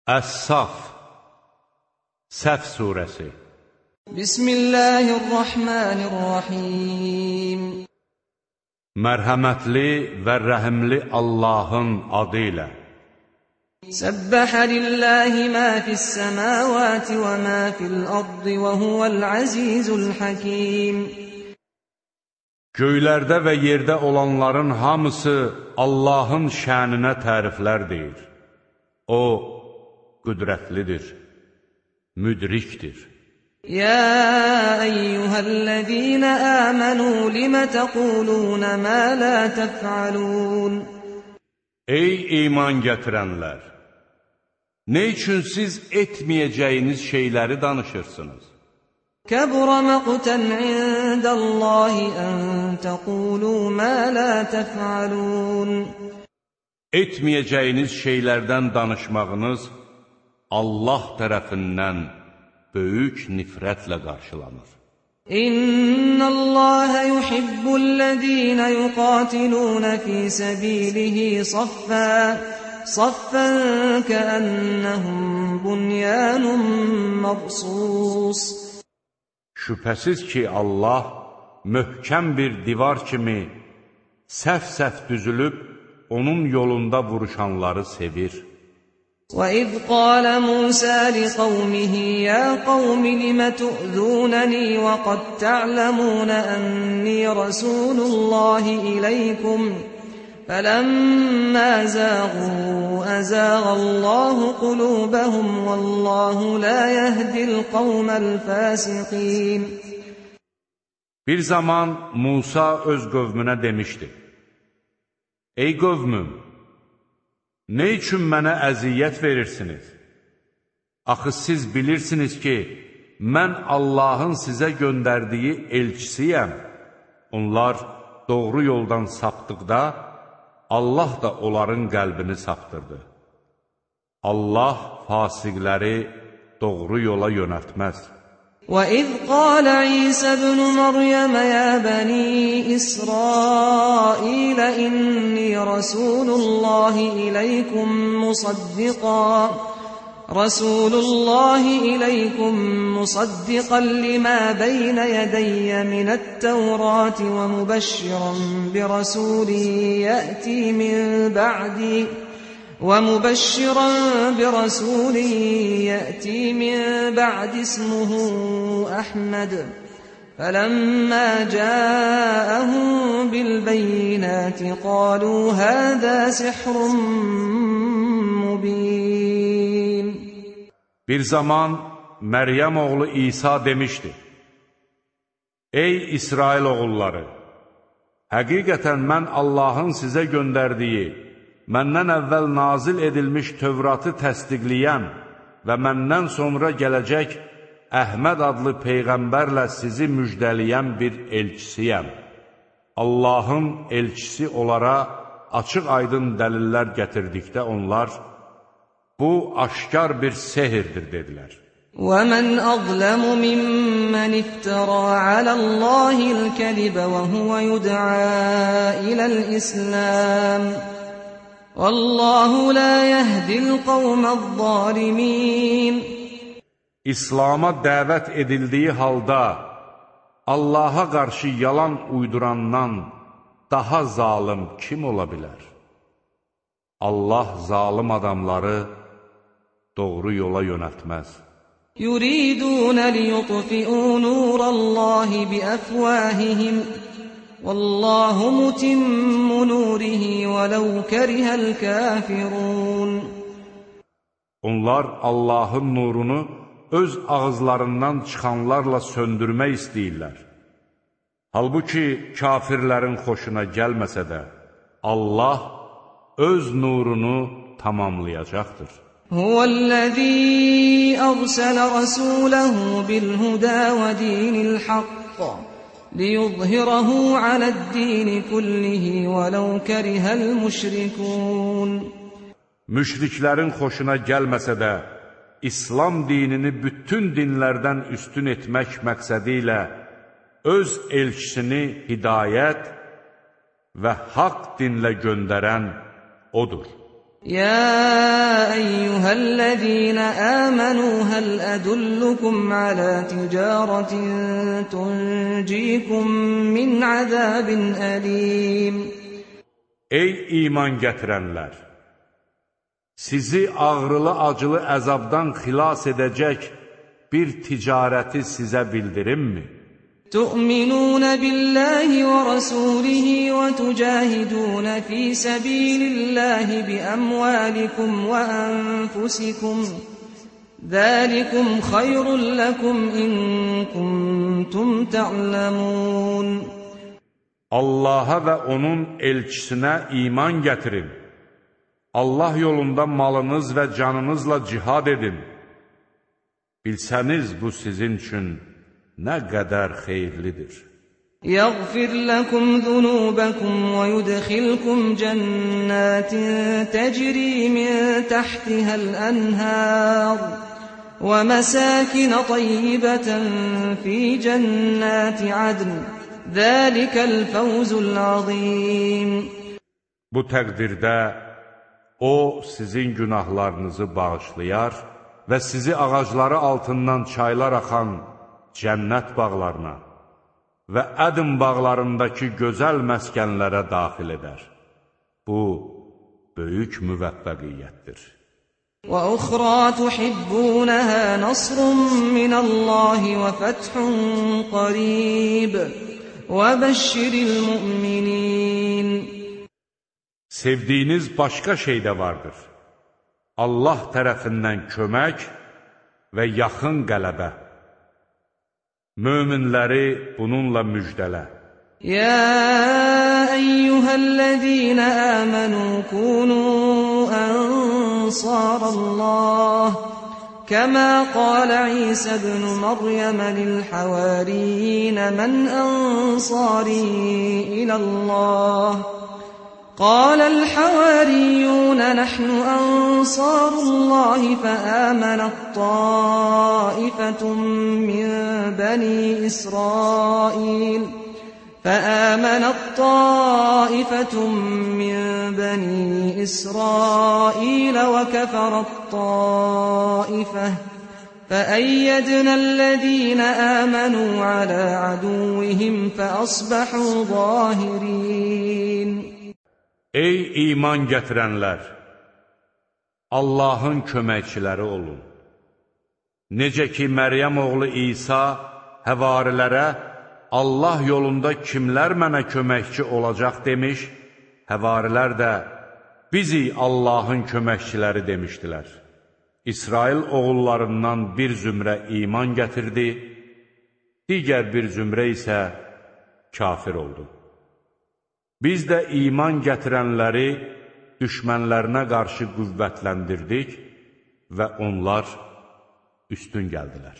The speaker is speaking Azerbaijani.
Əs-Saf Səf surəsi. Bismillahirrahmanirrahim. Mərhəmətli və rəhimli Allahın adı ilə. Səbbəhə lillahi mə fis-səmavati və mə fil-ardı və huvəl-əzizul hakim. Göylərdə və yerdə olanların hamısı Allahın şəninə təriflər deyir. O, qüdrətlidir, müdrikdir. Ya eyyuhəl-ləzīnə əmənu limə təqulunə mə lə təf'alun. Ey iman gətirənlər! Nə üçün siz etməyəcəyiniz şeyləri danışırsınız? Kəbura məqtən indəllahi ən təqulu mə lə təf'alun. Etməyəcəyiniz şeylərdən danışmağınız Allah tərəfindən böyük nifrətlə qarşılanır. İnnəlləhə yuhibbullezîne yuqatilûne fî səbîlihi saffən kəənnəhum bunyanun mərsus. Şübhəsiz ki, Allah möhkəm bir divar kimi səf-səf düzülüb, onun yolunda vuruşanları sevir. وَإِذْ قَالَ مُوسَى لِقَوْمِهِ يَا قَوْمِ لِمَ تُؤْذُونَنِي وَقَدْ تَعْلَمُونَ أَنِّي رَسُولُ اللَّهِ إِلَيْكُمْ فَلَمَّا زَاغُوا أَزَاغَ اللَّهُ قُلُوبَهُمْ وَاللَّهُ لَا يَهْدِي الْقَوْمَ الْفَاسِقِينَ. Bir zaman Musa öz qövmünə demişdi: Ey qövmüm! Nə üçün mənə əziyyət verirsiniz? Axı siz bilirsiniz ki, mən Allahın sizə göndərdiyi elçisiyəm. Onlar doğru yoldan sapdıqda, Allah da onların qəlbini saptırdı. Allah fasiqləri doğru yola yönəltməz. وَإِذْ قَالَ عِيسَى ابْنُ مَرْيَمَ يَا بَنِي إِسْرَائِيلَ إِنِّي رَسُولُ اللَّهِ إِلَيْكُمْ مُصَدِّقًا لِمَا بَيْنَ يَدَيَّ مِنَ التَّوْرَاةِ وَمُبَشِّرًا برسول يأتي من بعد اسمه أحمد فلما جاءهم بالبينات قالوا هذا سحر مبين. Bir zaman Məryəm oğlu İsa demişdi: Ey İsrail oğulları! Həqiqətən mən Allahın sizə göndərdiyi, məndən əvvəl nazil edilmiş Tövratı təsdiqləyən və məndən sonra gələcək Əhməd adlı Peyğəmbərlə sizi müjdələyən bir elçisiyəm. Allahın elçisi onlara açıq-aydın dəlillər gətirdikdə onlar, bu aşkar bir sehirdir, dedilər. وَمَنْ أَظْلَمُ مِمَّنِ افْتَرَى عَلَى اللَّهِ الْكَذِبَ وَهُوَ يُدْعَى إِلَى الْإِسْلَامِ وَاللَّهُ لَا يَهْدِي الْقَوْمَ الظَّالِمِينَ. İslam'a dəvət edildiyi halda Allaha qarşı yalan uydurandan daha zalım kim ola bilər? Allah zalım adamları doğru yola yönəltməz. يُرِيدُونَ لِيُطْفِئُوا نُورَ اللَّهِ بِأَفْوَاهِهِمْ وَاللَّهُ مُتِمُّ نُورِهِ وَلَوْ كَرِهَ الْكَافِرُونَ. Onlar Allahın nurunu öz ağızlarından çıxanlarla söndürmək istəyirlər. Halbuki kafirlərin xoşuna gəlməsə də, Allah öz nurunu tamamlayacaqdır. Huvəl-ləzî ərsələ rəsuləhu bil-hudə və dinil-haqq liyuzhirahu aləd-dini kullihi vələv kərihəl-müşrikun. Müşriklərin xoşuna gəlməsə də, İslam dinini bütün dinlərdən üstün etmək məqsədi ilə öz elçisini hidayət və haqq dinlə göndərən O'dur. يا أيها الذين آمنوا هل أدلكم على تجارة تنجيكم من عذاب أليم. Ey iman gətirənlər! Sizi ağrılı-acılı əzabdan xilas edəcək bir ticarəti sizə bildirimmi? تؤمنون بالله ورسوله وتجاهدون في سبيل الله بأموالكم وأنفسكم ذلكم خير لكم إن كنتم تعلمون. Allaha və onun elçisinə iman gətirin. Allah yolunda malınız və canınızla cihad edin. Bilsəniz bu sizin üçün nə qədər xeyirlidir. يغفر لكم ذنوبكم ويدخلكم جنات تجري من تحتها الأنهار ومساكن طيبة في جنات عدن ذلك الفوز العظيم. Bu təqdirdə O sizin günahlarınızı bağışlayar və sizi ağacları altından çaylar axan cənnət bağlarına və Ədn bağlarındakı gözəl məskənlərə daxil edər. Bu, böyük müvəffəqiyyətdir. وَأُخْرَى تُحِبُّونَهَا نَصْرٌ مِّنَ اللَّهِ وَفَتْحٌ قَرِيبٌ وَبَشِّرِ الْمُؤْمِنِينَ. Sevdiyiniz başqa şey də vardır. Allah tərəfindən kömək və yaxın qələbə. Möminləri bununla müjdələ. يا أيها الذين آمنوا كونوا أنصار الله كما قال عيسى ابن مريم للحواريين من أنصاري إلى الله قال الحواريون نحن أنصار الله فآمنت طائفة من بني إسرائيل وكفرت طائفة فأيدنا الذين آمنوا على عدوهم فأصبحوا ظاهرين. Ey iman gətirənlər! Allahın köməkçiləri olun. Necə ki, Məryəm oğlu İsa həvarilərə Allah yolunda kimlər mənə köməkçi olacaq demiş, həvarilər də bizi Allahın köməkçiləri demişdilər. İsrail oğullarından bir zümrə iman gətirdi, digər bir zümrə isə kafir oldu. Biz də iman gətirənləri düşmənlərinə qarşı qüvvətləndirdik və onlar üstün gəldilər.